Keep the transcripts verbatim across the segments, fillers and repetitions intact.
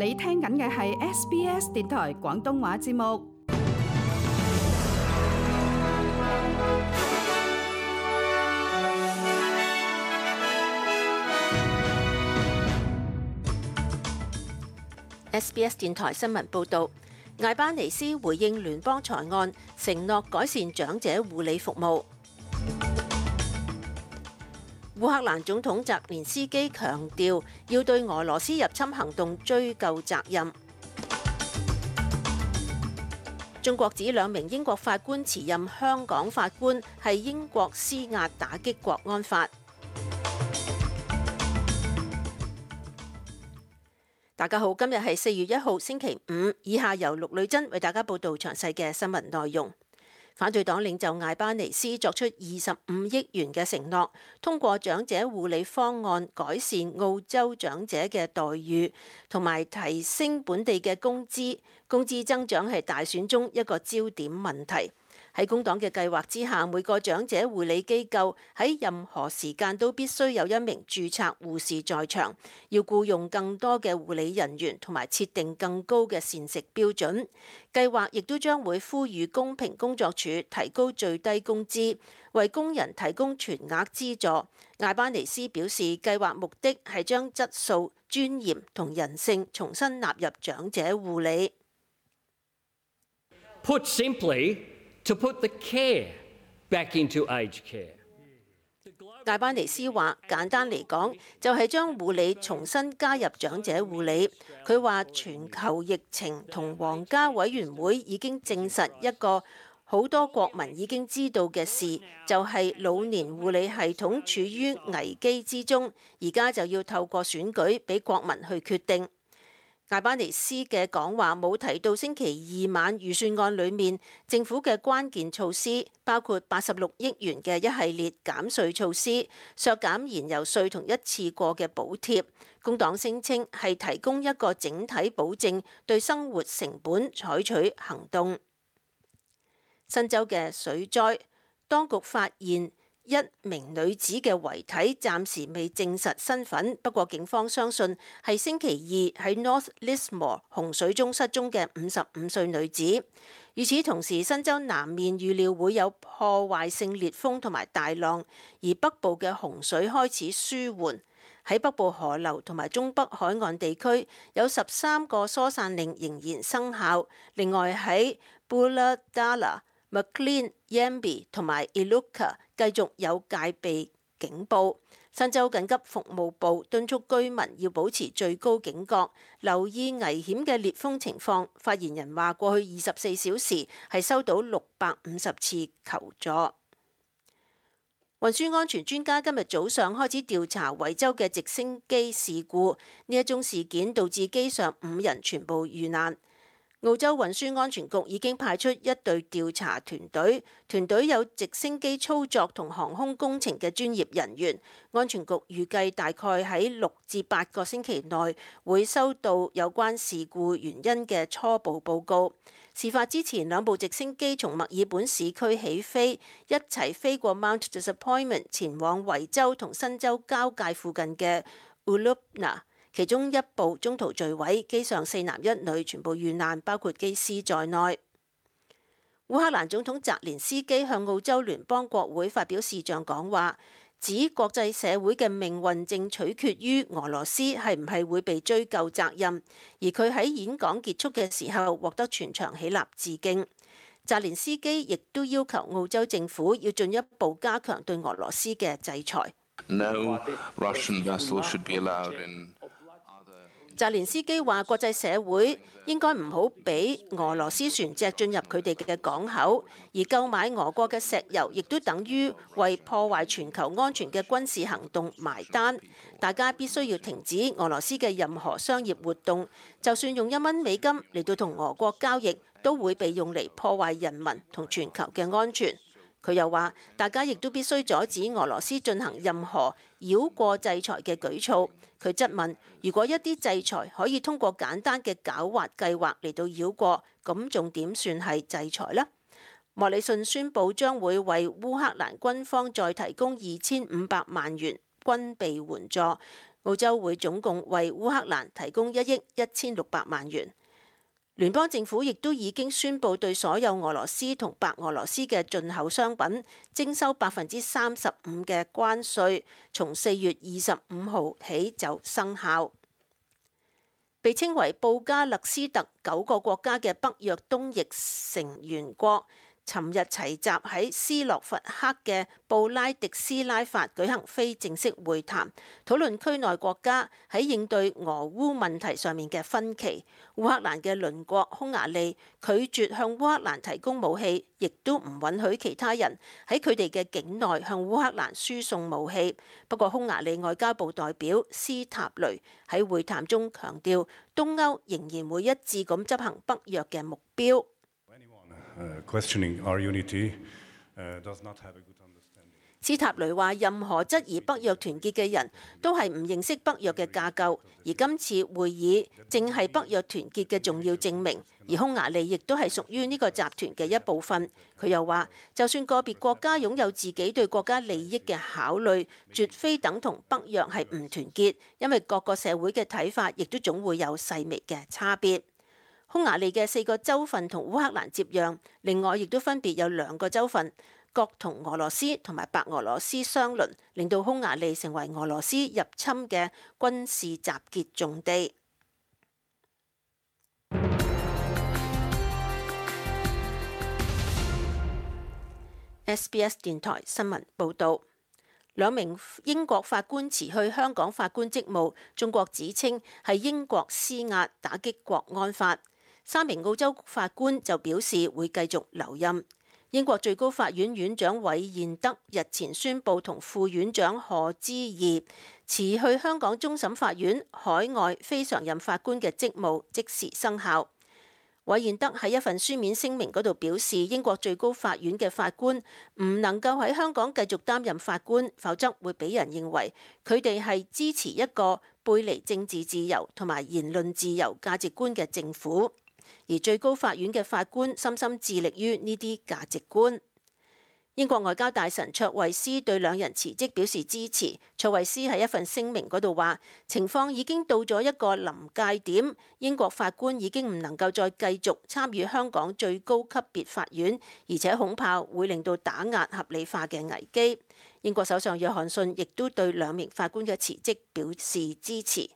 你聽緊嘅係 S B S 電台廣東話節目。S B S 電台新聞報導，艾巴尼斯回應聯邦財案，承諾改善長者護理服務。烏克蘭總統澤連斯基強調，要對俄羅斯入侵行動追究責任。中國指兩名英國法官辭任香港法官係英國施壓打擊國安法。大家好，今日係四月一號星期五，以下由陸女珍為大家報道詳細嘅新聞內容。反對黨領袖艾巴尼斯作出二十五億元嘅承諾，通過長者護理方案改善澳洲長者嘅待遇，同埋提升本地嘅工資。工資增長係大選中一個焦點問題。喺工黨嘅計劃之下，每個長者護理機構喺任何時間都必須有一名註冊護士在場，要僱用更多嘅護理人員，同埋設定更高嘅膳食標準。計劃亦都將會呼籲公平工作處提高最低工資，為工人提供全額資助。艾巴尼斯表示，計劃目的係將質素、尊嚴同人性重新納入長者護理。Put simply, to put the care back into aged care. 艾巴尼斯話：簡單嚟講，就係將護理重新加入長者護理。佢話全球疫情同皇家委員會已經證實一個好多國民已經知道嘅事，就係老年護理系統處於危機之中，而家就要透過選舉俾國民去決定。艾巴尼斯嘅講話冇提到星期二晚預算案裏面政府嘅關鍵措施，包括八十六億元嘅一系列減稅措施、削減燃油稅同一次過嘅補貼。工黨聲稱係提供一個整體保證，對生活成本採取行動。新州嘅水災，當局發現一名女子嘅遺體暫時未證實身份，不過警方相信係星期二喺 North Lismore 洪水中失蹤嘅五十五歲女子。與此同時，新州南面預料會有破壞性烈風同埋大浪，而北部嘅洪水開始舒緩。喺北部河流同埋中北海岸地區有十三個疏散令仍然生效。另外喺 Booladalla、Maclean、Yamby 同埋 Iluka 繼續有戒備警報。新州緊急服務部敦促居民要保持最高警覺，留意危險嘅烈風情況。發言人話：過去二十四小時係收到六百五十次求助。運輸安全專家今日早上開始調查維州嘅直升機事故，呢一宗事件導致機上五人全部遇難。澳洲運輸安全局已經派出一隊調查團隊，團隊有直升機操作同航空工程嘅專業人員。安全局預計大概喺六至八個星期內會收到有關事故原因嘅初步報告。事發之前，兩部直升機從墨爾本市區起飛，一齊飛過 Mount Disappointment， 前往維州同新州交界附近嘅 Ulubna。其中一部中途墜毀，機上四男一女全部遇難，包括機師在內。烏克蘭總統澤連斯基向澳洲聯邦國會發表視像講話，指國際社會嘅命運正取決於俄羅斯係唔係會被追究責任，而佢喺演講結束嘅時候獲得全場起立致敬。澤連斯基亦都要求澳洲政府要進一步加強對俄羅斯嘅制裁。No Russian vessel should be allowed in. 澤連斯基話：國際社會應該唔好俾俄羅斯船隻進入佢哋嘅港口，而購買俄國嘅石油亦都等於為破壞全球安全嘅軍事行動埋單。大家必須要停止俄羅斯嘅任何商業活動，就算用一蚊美金嚟到同俄國交易，都會被用嚟破壞人民同全球嘅安全。佢又話：大家亦都必須阻止俄羅斯進行任何繞過制裁嘅舉措。佢質問：如果一啲制裁可以通過簡單嘅狡猾計劃嚟到繞過，咁仲點算係制裁呢？莫里遜宣布將會為烏克蘭軍方再提供二千五百萬元軍備援助。澳洲會總共為烏克蘭提供一億一千六百萬元。聯邦政府亦都已經宣布對所有俄羅斯同白俄羅斯嘅進口商品徵收百分之三十五嘅關稅，從四月二十五號起就生效。被稱為布加勒斯特九個國家嘅北約東翼成員國，尋日齊集喺斯洛伐克嘅布拉迪斯拉法舉行非正式會談，討論區內國家喺應對俄烏問題上面嘅分歧。烏克蘭嘅鄰國匈牙利拒絕向烏克蘭提供武器，亦都唔允許其他人喺佢哋嘅境內向烏克蘭輸送武器。不過，匈牙利外交部代表斯塔雷喺會談中強調，東歐仍然會一致咁執行北約嘅目標。斯塔雷話：任何質疑北約團結嘅人都係唔認識北約嘅架構，而今次會議正係北約團結嘅重要證明。而匈牙利亦都係屬於呢個集團嘅一部分。佢又話：就算個別國家擁有自己對國家利益嘅考慮，絕非等同北約係唔團結，因為各個社會嘅睇法亦都總會有細微嘅差別。匈牙利嘅四個州份同烏克蘭接壤，另外亦都分別有兩個州份各同俄羅斯同埋白俄羅斯相鄰，令到匈牙利成為俄羅斯入侵嘅軍事集結重地。S B S 電台新聞報導，兩名英國法官辭去香港法官職務，中國指稱係英國施壓打擊國安法。三名澳洲法官就表示會繼續留任。英國最高法院院長韋彥德日前宣布同副院長賀知義辭去香港終審法院海外非常任法官嘅職務，即時生效。韋彥德喺一份書面聲明嗰度表示，英國最高法院嘅法官唔能夠喺香港繼續擔任法官，否則會俾人認為佢哋係支持一個背離政治自由同埋言論自由價值觀嘅政府。而最高法院嘅法官深深致力於呢啲價值觀。英國外交大臣卓慧思對兩人辭職表示支持。卓慧思喺一份聲明嗰度話：情況已經到咗一個臨界點，英國法官已經唔能夠再繼續參與香港最高級別法院，而且恐怕會令到打壓合理化嘅危機。英國首相約翰遜亦都對兩名法官嘅辭職表示支持。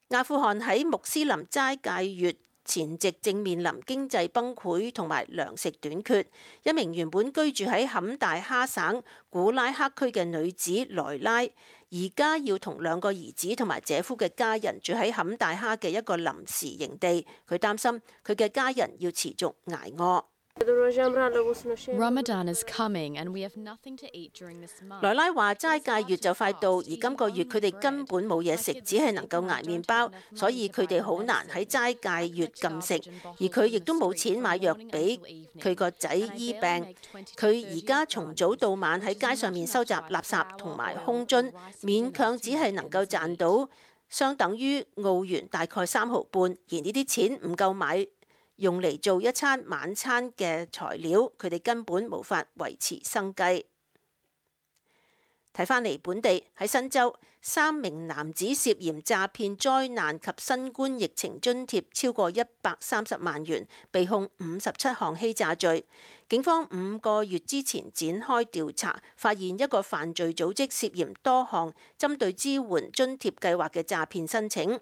阿富汗喺穆斯林齋戒月前夕正面臨經濟崩潰同埋糧食短缺。一名原本居住喺坎大哈省古拉克區嘅女子萊拉，而家要同兩個兒子同埋姐夫嘅家人住喺坎大哈嘅一個臨時營地。佢擔心佢嘅家人要持續捱餓。Ramadan is coming and we have nothing to eat during this month. 萊拉話齋戒月就快到，而今個月佢哋根本冇嘢食，只係能夠捱麵包，所以佢哋好難喺齋戒月禁食。而佢亦都冇錢買藥俾佢個仔醫病。佢而家從早到晚喺街上面收集垃圾同埋空樽，勉強只係能夠賺到相等於澳元大概三毫半，而呢啲錢唔夠買用嚟做一餐晚餐嘅材料，佢哋根本無法維持生計。睇返嚟本地喺新州，三名男子涉嫌詐騙災難及新冠疫情津貼超過一百三十萬元，被控五十七項欺詐罪。警方五個月之前展開調查，發現一個犯罪組織涉嫌多項針對支援津貼計劃嘅詐騙申請。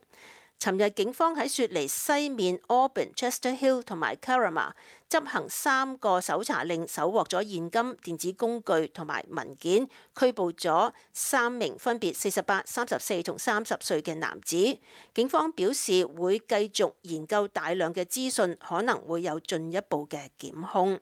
尋日警方喺雪梨西面 Auburn、Chester Hill 同埋 Carrama 執行三個搜查令，搜獲咗現金、電子工具同埋文件，拘捕咗三名分別四十八、三十四同三十歲嘅男子。警方表示會繼續研究大量嘅資訊，可能會有進一步嘅檢控。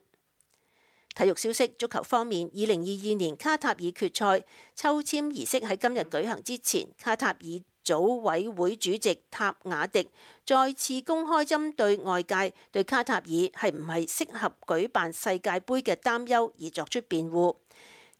體育消息，足球方面，二零二二年卡塔爾決賽抽籤儀式喺今日舉行之前，卡塔爾組委會主席塔瓦迪再次公開針對外界對卡塔爾係唔係適合舉辦世界盃嘅擔憂而作出辯護。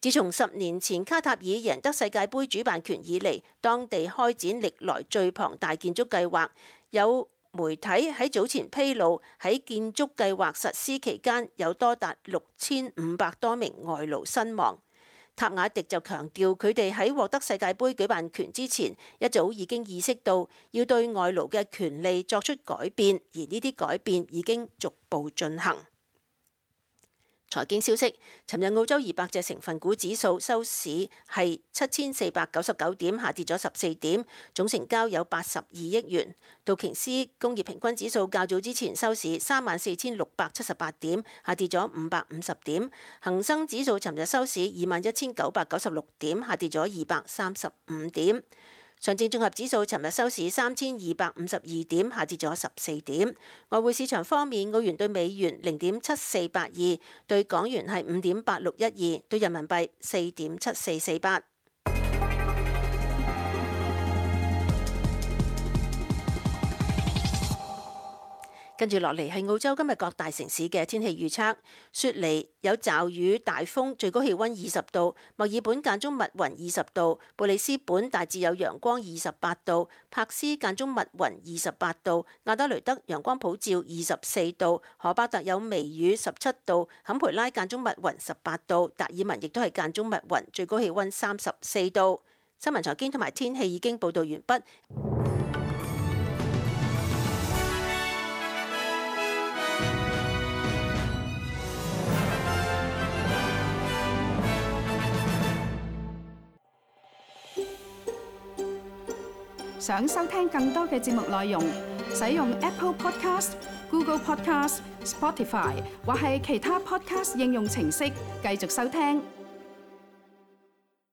自從十年前卡塔爾贏得世界盃主辦權以嚟，當地開展歷來最龐大建築計劃。有媒體喺早前披露，喺建築計劃實施期間有多達六千五百多名外勞身亡。塔瓦迪就強調，佢哋喺獲得世界盃舉辦權之前，一早已經意識到要對外勞嘅權利作出改變，而呢啲改變已經逐步進行。財經消息，尋日澳洲二百隻成分股指數收市係七千四百九十九點，下跌咗十四點，總成交有八十二億元。道瓊斯工業平均指數較早之前收市三萬四千六百七十八點，下跌咗五百五十點。恒生指數尋日收市二萬一千九百九十六點，下跌咗二百三十五點。上證綜合指數尋日收市三千二百五十二點，下跌咗十四點。外匯市場方面，澳元對美元零點七四八二，對港元係五點八六一二，對人民幣四點七四四八。跟住落嚟係澳洲今日各大城市嘅天氣預測。雪梨有驟雨大風，最高氣温二十度；墨爾本間中密雲二十度；布里斯本大致有陽光二十八度；柏斯間中密雲二十八度；亞德雷德陽光普照二十四度；荷巴特有微雨十七度；坎培拉間中密雲十八度；達爾文亦都係間中密雲，最高氣温三十四度。新聞財經同埋天氣已經報導完畢。想收聽更多嘅節目內容，使用 Apple Podcast、Google Podcast、Spotify 或係其他 Podcast 應用程式繼續收聽。